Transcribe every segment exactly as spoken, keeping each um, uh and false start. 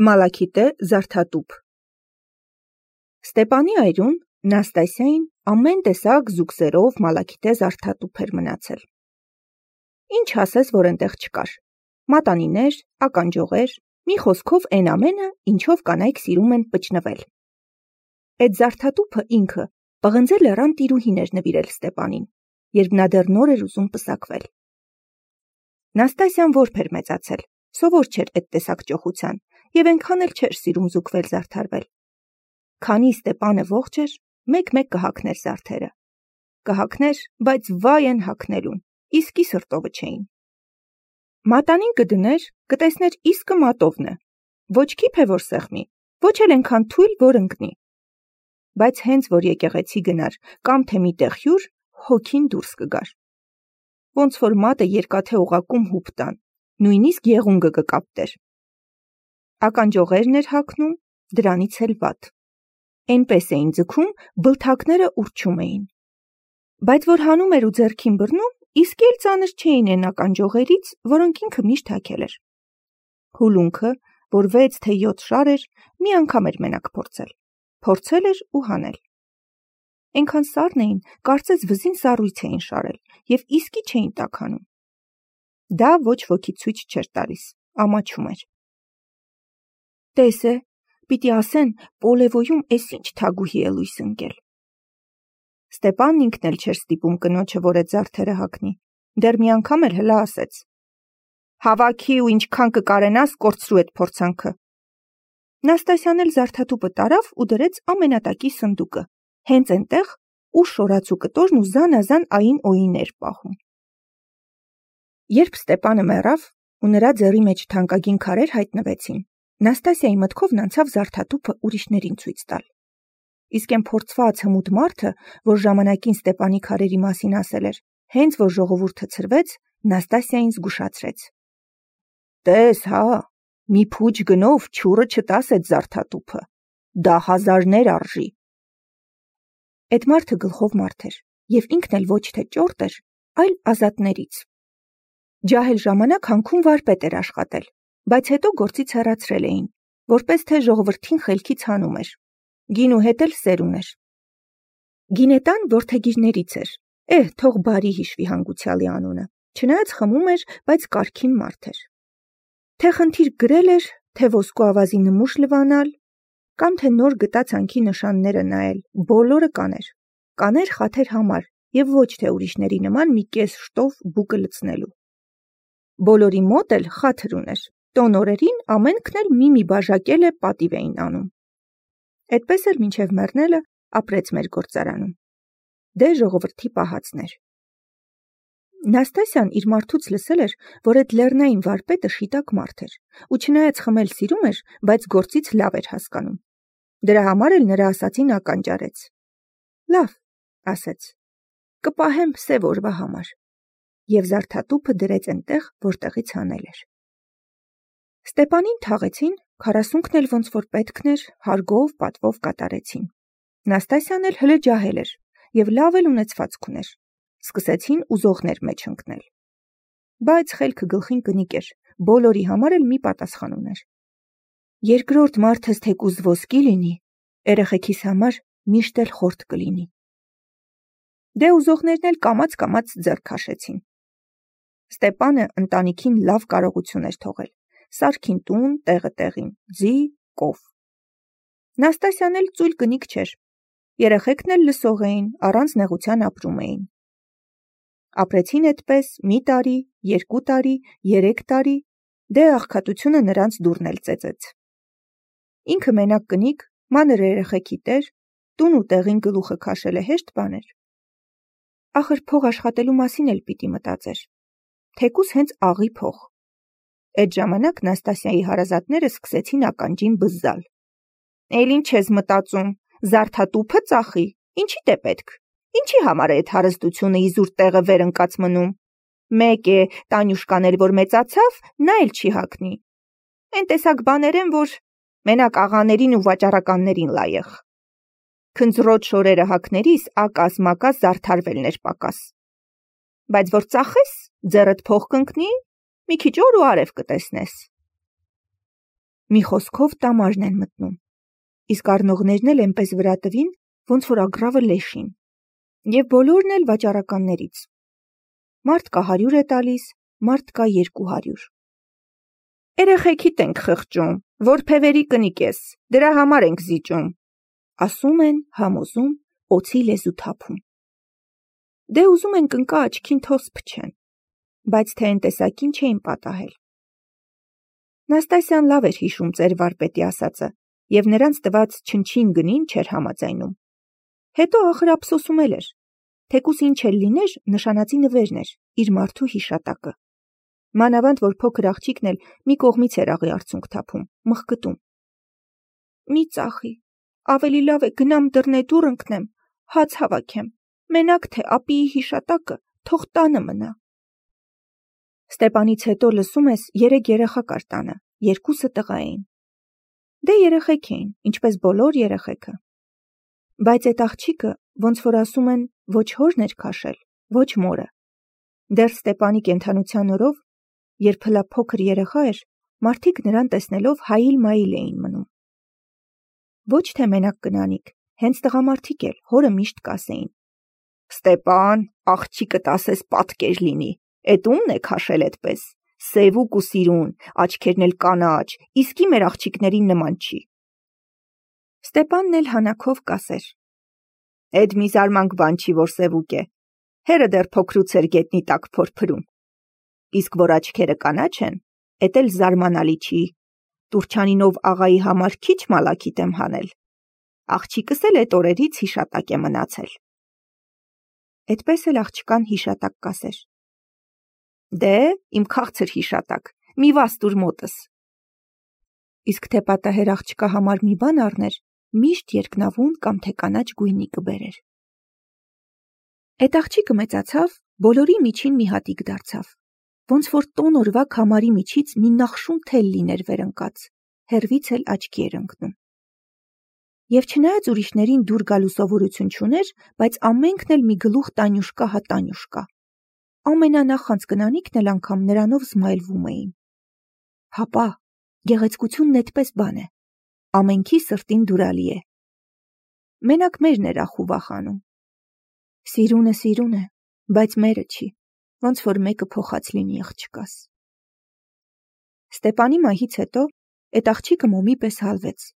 Մալաքիտե զարդատուփ Ստեպանի այրուն Նաստասիային ամեն տեսակ զուգսերով մալաքիտե զարդատուփ էր մնացել։ Ինչ ասես, որ այնտեղ չկար։ Մատանիներ, ականջողեր, մի խոսքով այն ամենը, ինչով կանայք սիրում են պճնվել։ Այդ զարդատուփը ինքը պղնձե լեռան տիրուհին էր նվիրել Ստեպանին, երբ նա դեռ նոր էր ուզում պսակվել։ Նաստասիան որբ էր մեծացել, սովոր չէր այդ տեսակ ճոխության և այնքան էլ չէր սիրում զուգվել զարդարվել։ Քանի Ստեպանը ողջ էր, մեկ-մեկ կհագներ զարդերը։ Կհագներ, բայց վայ են հագնելուն, իսկի սրտովը չէին։ Մատանին կդներ, կտեսներ իսկը մատովն է, ոչ քիփ է որ սեղմի, ոչ էլ այնքան թույլ, որ ընկնի։ Բայց հենց որ եկեղեցի գնար կամ թե միտեղ հյուր, հոգին դուրս կգար։ Ոնց որ մատը երկաթե օղակում հուպ տան, նույնիսկ եղունգը կկապտեր։ Ականջողերն էր հագնում, դրանից էլ վատ։ Այնպես էին ձգում, բլթակները ուռչում էին։ Բայց որ հանում էր ու ձեռքին բռնում, իսկ էլ ծանր չէին այն ականջողերից, որոնք ինքը միշտ հագել էր։ Հուլունքը, որ վեց թե յոթ շար էր, մի անգամ էր մենակ փորձել։ Փորձել էր ու հանել։ Այնքան սառն էին, կարծես վզին սառույց էին շարել և իսկի չէին տաքանում։ Դա ոչ ոքի ցույց չէր տալիս, ամաչում էր։ Տես է, պիտի ասեն, Պոլևոյում էս ինչ թագուհի է լույս ընկել։ Ստեպանն ինքն էլ չէր ստիպում կնոջը, որ այդ զարդերը հագնի, դեռ մի անգամ էլ հլա ասեց. «Հավաքի ու ինչքան կկարենաս, կորցրու այդ փորձանքը»։ Նաստասիան էլ զարդատուփը տարավ ու դրեց ամենատակի սնդուկը, հենց այնտեղ, ուր շորացու կտորն ու զանազան ային օին էր պահում։ Երբ Ստեպանը մեռավ ու նրա ձեռի մեջ թանկագին քարեր հայտնվեցին, Նաստասիայի մտքով անցավ զարդատուփը ուրիշներին ցույց տալ։ Իսկ այն փորձված հմուտ մարդը, որ ժամանակին Ստեպանի քարերի մասին ասել էր, հենց որ ժողովուրդը ցրվեց, Նաստասիային զգուշացրեց. «Տես, հա, մի փուջ գնով չուրը չտաս այդ զարդատուփը, դա հազարներ արժի»։ Այդ մարդը գլխով մարդ էր, և ինքն էլ ոչ թե ճորտ էր, այլ ազատներից։ Ջահել ժամանակ հանքում վարպետ էր աշխատել, բայց հետո գործից հեռացրել էին, որպես թե ժողովրդին խելքից հանում էր։ Գինու հետ էլ սեր ուներ։ Գինետան որդեգիրներից էր, էհ, թող բարի հիշվի հանգուցյալի անունը, չնայած խմում էր, բայց կարգին մարդ էր։ Թե խնդիր գրել էր, թե ոսկու ավազի նմուշ լվանալ, կամ թե նոր գտած հանքի նշանները նայել, բոլորը կաներ։ Կաներ խաթեր համար և ոչ թե ուրիշների նման մի կես շտով բուկը լցնելու։ Բոլորի մոտ էլ խաթր ուներ, տոն օրերին ամենքն էլ մի-մի բաժակել է պատիվ էին անում։ Այդպես էլ մինչև մեռնելը ապրեց մեր գործարանում։ Դե ժողովրդի պահածներ։ Նաստասիան իր մարդուց լսել էր, որ այդ լեռնային վարպետը շիտակ մարդ էր, ու չնայած խմել սիրում էր, բայց գործից լավ էր հասկանում։ Դրա համար էլ նրա ասածին ականջարեց։ Լավ, ասեց, կպահեմ սև օրվա համար, և զարդատուփը դրեց այնտեղ, որտեղից հանել էր։ Ստեպանին թաղեցին, քառասունքն էլ ոնց որ պետքն էր, հարգով, պատվով կատարեցին։ Նաստասիան էլ հլը ջահել էր և լավ էլ ունեցվածք ուներ։ Սկսեցին ուզողներ մեջ ընկնել։ Բայց խելքը գլխին կնիկ էր, բոլորի համար էլ մի պատասխան ուներ։ Երկրորդ մարդս թեկուզ ոսկի լինի, երեխեքիս համար միշտ էլ խորտ կլինի։ Դե ուզողներն էլ կամաց-կամաց ձեռք քաշեցին։ Ստեպանը ընտանիքին լավ կարողություն էր թողել, սարքին տուն, տեղը տեղին, ձի, կով։ Նաստասիան էլ ծույլ կնիկ չէր, երեխեքն էլ լսող էին, առանց նեղության ապրում էին։ Ապրեցին այդպես մի տարի, երկու տարի, երեք տարի, դե աղքատությունը նրանց դուռն էլ ծեծեց։ Ինքը մենակ կնիկ, մանր երեխեքի տեր, տուն ու տեղին գլուխը քաշելը հեշտ բան էր։ Ախր փող աշխատելու մասին էլ պիտի մտածեր, թեկուզ հենց աղի փող։ Այդ ժամանակ Նաստասիայի հարազատները սկսեցին ականջին բզզալ։ Էլ ինչ ես մտածում, զարդատուփը ծախի, ինչիդ է պետք, ինչի համար է այդ հարստությունը իզուր տեղը վեր ընկած մնում։ Մեկ է, Տանյուշկան էլ որ մեծացավ, նա էլ չի հագնի։ Այն տեսակ բաներ են, որ մենակ աղաներին ու վաճառականներին լայեղ։ Քնձռոտ շորերը հագներիս ակաս-մակաս զարդարվելն էր պակաս։ Բայց որ ծախես, ձեռդ փող կընկնի, մի քիչ օր ու արև կտեսնես։ մի խոսքով տամարն են մտնում, իսկ առնողներն էլ այնպես վրա տվին, ոնց որ ագռավը լեշին, և բոլորն էլ վաճառականներից։ Մարդ կա հարյուր է տալիս, մարդ կա երկու հարյուր։ Երեխեքիդ ենք խղճում, որ փևերի կնիկ ես, դրա համար ենք զիջում, ասում են, համոզում, օձի լեզու թափում։ Դե ուզում են կնկա աչքին թոս փչեն, բայց թե այն տեսակին չէին պատահել։ Նաստասյան լավ էր հիշում ծեր վարպետի ասածը, և նրանց տված չնչին գնին չէր համաձայնում։ Հետո ախր ափսոսում էլ էր, թեկուս ինչ էլ լիներ, նշանածի նվերն էր, իր մարդու հիշատակը։ Մանավանդ, որ փոքր աղջիկն էլ մի կողմից էր աղի արցունք թափում, մխկտում։ Մի ծախի, ավելի լավ է գնամ դռնեդուռ ընկնեմ, հաց հավաքեմ, մենակ թե ապիի հիշատակը թող տանը մնա։ Ստեպանից հետո լսում ես երեք երեխա կար տանը, երկուսը տղա էին։ Դե երեխեք էին, ինչպես բոլոր երեխեքը։ Բայց այդ աղջիկը, ոնց որ ասում են, ոչ հորն էր քաշել, ոչ մորը։ Դեռ Ստեպանի կենդանության օրով, երբ հլա փոքր երեխա էր, մարդիկ նրան տեսնելով հայիլ-մայիլ էին մնում։ Ոչ թե մենակ կնանիք, հենց տղամարդիկ էլ հորը միշտ կասեին. Ստեպան, աղջիկդ ասես պատկեր լինի, էդ ումն է քաշել էդպես, սևուկ ու սիրուն, աչքերն էլ կանաչ, իսկի մեր աղջիկներին նման չի։ Ստեպանն էլ հանակով կասեր. Էդ մի զարմանք բան չի, որ սևուկ է, հերը դեռ փոքրուց էր գետնի տակ փորփրում։ Իսկ որ աչքերը կանաչ են, էդ էլ զարմանալի չի, Տուրչանինով աղայի համար քիչ մալաքիտ եմ հանել, աղջիկս էլ էդ օրերից հիշատակ է մնացել։ Էդպես էլ աղջկան հիշատակ կասեր. Դե, իմ քաղցր հիշատակ, մի վաստուր մոտս։ Իսկ թե պատահեր աղջկա համար մի բան առներ, միշտ երկնավուն կամ թե կանաչ գույնի կբերեր։ Այդ աղջիկը մեծացավ, բոլորի միջին մի հատիկ դարձավ, ոնց որ տոն օրվա քամարի միջից մի նախշուն թել լիներ վերընկած, հեռվից էլ աչքի էր ընկնում։ Եվ չնայած ուրիշներին դուր գալու սովորություն չուներ, բայց ամենքն էլ մի գլուխ Տանյուշկա հա Տանյուշկա։ Ամենանախանձ կնանիքն էլ անգամ նրանով զմայլվում էին։ Հապա, գեղեցկությունն էդպես բան է, ամենքի սրտին դուրալի է։ Մենակ մերն էր ախու վախանում։ Սիրունը սիրուն է, բայց մերը չի, ոնց որ մեկը փոխած լինի աղջկաս։ Ստեպանի մահից հետո այդ աղջիկը մոմի պես հալվեց։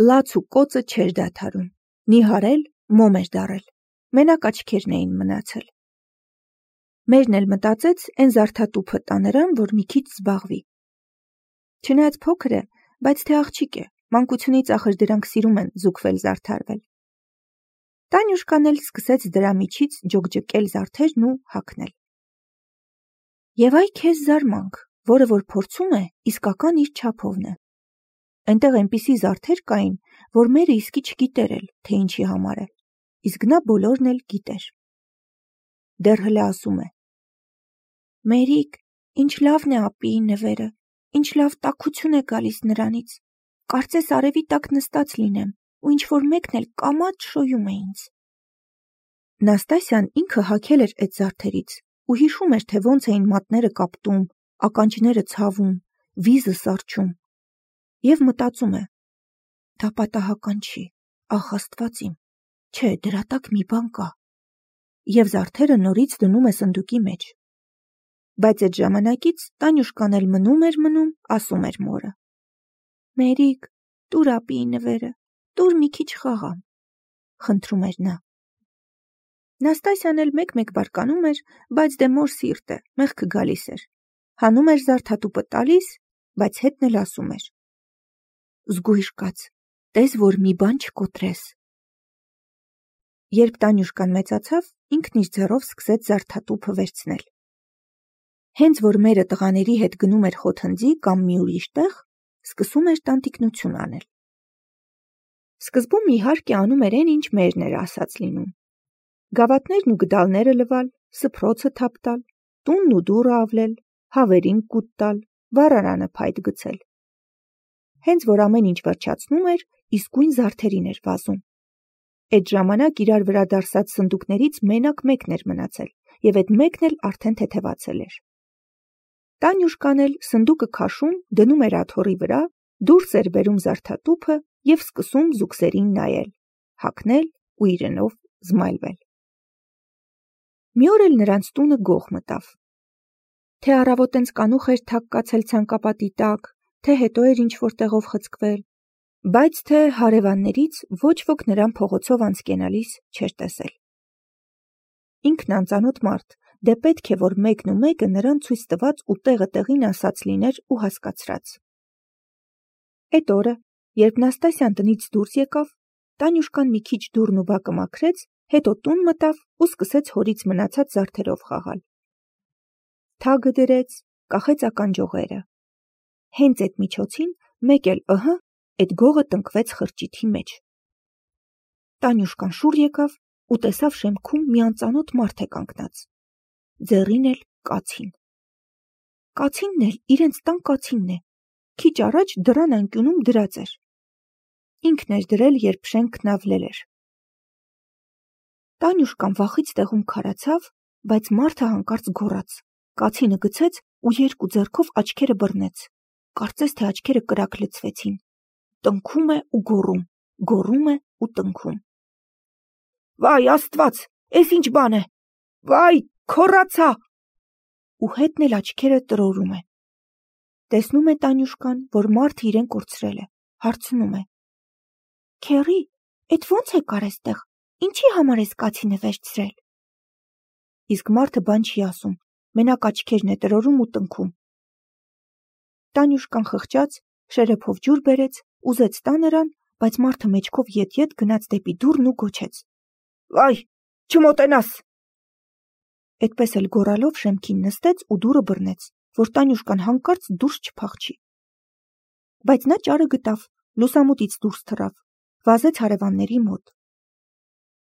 Լաց ու կոծը չէր դադարում, նիհարել, մոմ էր դարել, մենակ աչքերն էին մնացել։ Մերն էլ մտածեց այն զարդատուփը տա նրան, որ մի քիչ զբաղվի։ Չնայած փոքր է, բայց թե աղջիկ է, մանկությունից ախր դրանք սիրում են զուգվել զարդարվել։ Տանյուշկան էլ սկսեց դրա միջից ջոկջկել զարդերն ու հագնել։ Եվ այ քեզ զարմանք, որը որ փորձում է, իսկական իր չափովն է։ Այնտեղ այնպիսի զարդեր կային, որ մերը իսկի չգիտեր էլ, թե ինչի համար է, իսկ նա բոլորն էլ գիտեր։ Դեռ հլե ասում է. Մերիկ, ինչ լավն է ապիի նվերը, ինչ լավ տաքություն է գալիս նրանից, կարծես արևի տակ նստած լինեմ, ու ինչ որ մեկն էլ կամաց շոյում է ինձ։ Նաստասյան ինքը հագել էր այդ զարդերից ու հիշում էր, թե ոնց էին մատները կապտում, ականջները ցավում, վիզը սառչում։ Եվ մտածում է. դա պատահական չի, ախ Աստված իմ, չէ, դրա տակ մի բան կա։ Եվ զարդերը նորից դնում է սնդուկի մեջ։ Բայց այդ ժամանակից Տանյուշկան էլ մնում էր մնում, ասում էր մորը. Մերիկ, տուր ապիի նվերը, տուր մի քիչ խաղամ, խնդրում էր նա։ Նաստասյան էլ մեկ-մեկ բարկանում էր, բայց դե մոր սիրտ է, մեղքը գալիս էր։ Հանում էր զարդատուփը տալիս, բայց հետն էլ ասում էր. Զգույշ կաց, տես որ մի բան չկոտրես։ Երբ Տանյուշկան մեծացավ, ինքն իր ձեռով սկսեց զարդատուփը վերցնել։ Հենց որ մերը տղաների հետ գնում էր խոթնձի կամ մի ուրիշ տեղ, սկսում էր տանտիկնություն անել։ Սկզբում իհարկե անում էր այն, ինչ մերն էր ասած լինում։ Գավաթներն ու գդալները լվալ, սփռոցը թափ տալ, տունն ու դուռը ավլել, հավերին կուտ տալ, վառարանը փայտ գցել։ Հենց որ ամեն ինչ վերջացնում էր, իսկույն զարդերին էր վազում։ Այդ ժամանակ իրար վրա դարսած սնդուկներից մենակ մեկն էր մնացել, և այդ մեկն էլ արդեն թեթևացել էր։ Տանյուշկան էլ սնդուկը քաշում, դնում էր աթոռի վրա, դուրս էր բերում զարդատուփը և սկսում զուգսերին նայել, հագնել ու իրենով զմայլվել։ Մի օր էլ նրանց տունը գող մտավ։ Թե առավոտ տենց կանուխ էր թակ կացել ցանկապատի տակ, թե հետո էր ինչ-որ տեղով խցկվել, բայց թե հարևաններից ոչ ոք նրան փողոցով անցկենալիս չէր տեսել։ Ինքն անծանոթ մարդ, դե պետք է, որ մեկն ու մեկը նրան ցույց տված ու տեղը տեղին ասած լիներ ու հասկացրած։ Էդ օրը, երբ Նաստասյան տնից դուրս եկավ, Տանյուշկան մի քիչ դուռն ու բակը մաքրեց, հետո տուն մտավ ու սկսեց հորից մնացած զարդերով խաղալ։ Թագը դրեց, կախեց ականջողերը։ Հենց այդ միջոցին մեկ էլ ըհը, այդ գողը տնկվեց խրճիթի մեջ։ Տանյուշկան շուռ եկավ ու տեսավ շեմքում մի անծանոթ մարդ է կանգնած։ Ձեռին էլ կացին։ Կացինն էլ իրենց տան կացինն է, քիչ առաջ դռան անկյունում դրած էր։ Ինքն էր դրել, երբ շենքն ավլել էր։ Տանյուշկան վախից տեղում քարացավ, բայց մարդը հանկարծ գոռաց, կացինը գցեց ու երկու ձեռքով աչքերը բռնեց, կարծես թե աչքերը կրակ լցվեցին, տնքում է ու գոռում, գոռում է ու տնքում։ Վայ Աստված, էս ինչ բան է, վայ, քոռացա, ու հետն էլ աչքերը տրորում է։ Տեսնում է Տանյուշկան, որ մարդը իրեն կորցրել է, հարցնում է. Քեռի, էդ ո՞նց եկար էստեղ, ինչի համար ես կացինը վերցրել։ Իսկ մարդը բան չի ասում, մենակ աչքերն է տրորում ու տնքում։ Տանյուշկան խղճաց, շերեփով ջուր բերեց, ուզեց տա նրան, բայց մարդը մեջքով ետ-ետ գնաց դեպի դուռն ու գոչեց. Վայ, չմոտենաս։ Այդպես էլ գոռալով շեմքին նստեց ու դուռը բռնեց, որ Տանյուշկան հանկարծ դուրս չփախչի։ Բայց նա ճարը գտավ, լուսամուտից դուրս թռավ, վազեց հարևանների մոտ։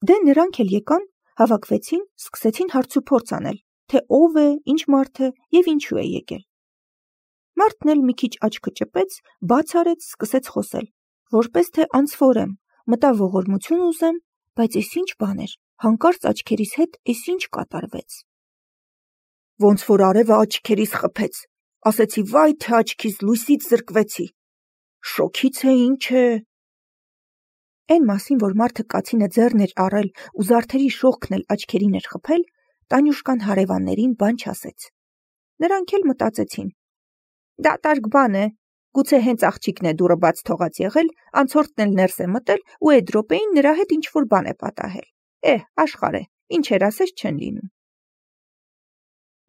Դե նրանք էլ եկան, հավաքվեցին, սկսեցին հարցուփորձ անել, թե ով է, ինչ մարդ է և ինչու է եկել։ Մարդն էլ մի քիչ աչքը ճպեց, բաց արեց, սկսեց խոսել, որպես թե անձֆորեմ, մտավ ողորմություն ուզեմ, բայց էս ինչ բան էր, հանկարծ աչքերիս հետ էս ինչ կատարվեց։ Ոնց որ արևը աչքերիս խփեց, ասեցի վայ թե աչքիս լույսից զրկվեցի, շոքից է ինչ է։ Էն մասին, որ մարդը կացինը ձեռն էր առել ու զարդերի շողքն էլ աչքերին էր խփել, Տանյուշկան հարևաններին բան չասեց։ Նրանք էլ մտածեցին. դատարկ բան է, գուցե հենց աղջիկն է դուռը բաց թողած եղել, անցորդն էլ ներս է մտել ու այդ րոպեին նրա հետ ինչ-որ բան է պատահել։ Էհ, աշխարհ է, ինչեր ասես չեն լինում։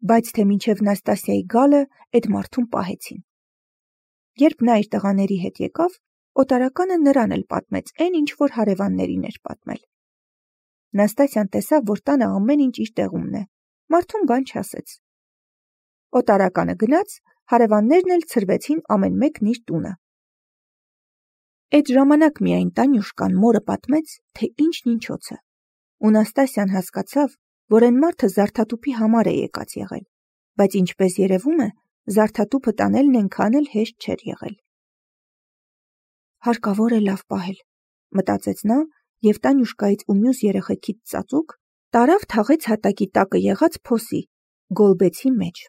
Բայց թե մինչև Նաստասիայի գալը այդ մարդուն պահեցին։ Երբ նա իր տղաների հետ եկավ, օտարականը նրան էլ պատմեց այն, ինչ որ հարևաններին էր պատմել։ Նաստասյան տեսավ, որ տանը ամեն ինչ իր տեղումն է, մարդուն բան չասեց։ Օտարականը գնաց, հարևաններն էլ ցրվեցին ամեն մեկն իր տունը։ Այդ ժամանակ միայն Տանյուշկան մորը պատմեց, թե ինչն ինչոց է, ու Նաստասյան հասկացավ, որ այն մարդը զարդատուփի համար է եկած եղել, բայց ինչպես երևում է, զարդատուփը տանելն այնքան էլ հեշտ չէր եղել։ Հարկավոր է լավ պահել, մտածեց նա, և Տանյուշկայից ու մյուս երեխեքից ծածուկ տարավ թաղեց հատակի տակը եղած փոսի, գոլբեցի մեջ։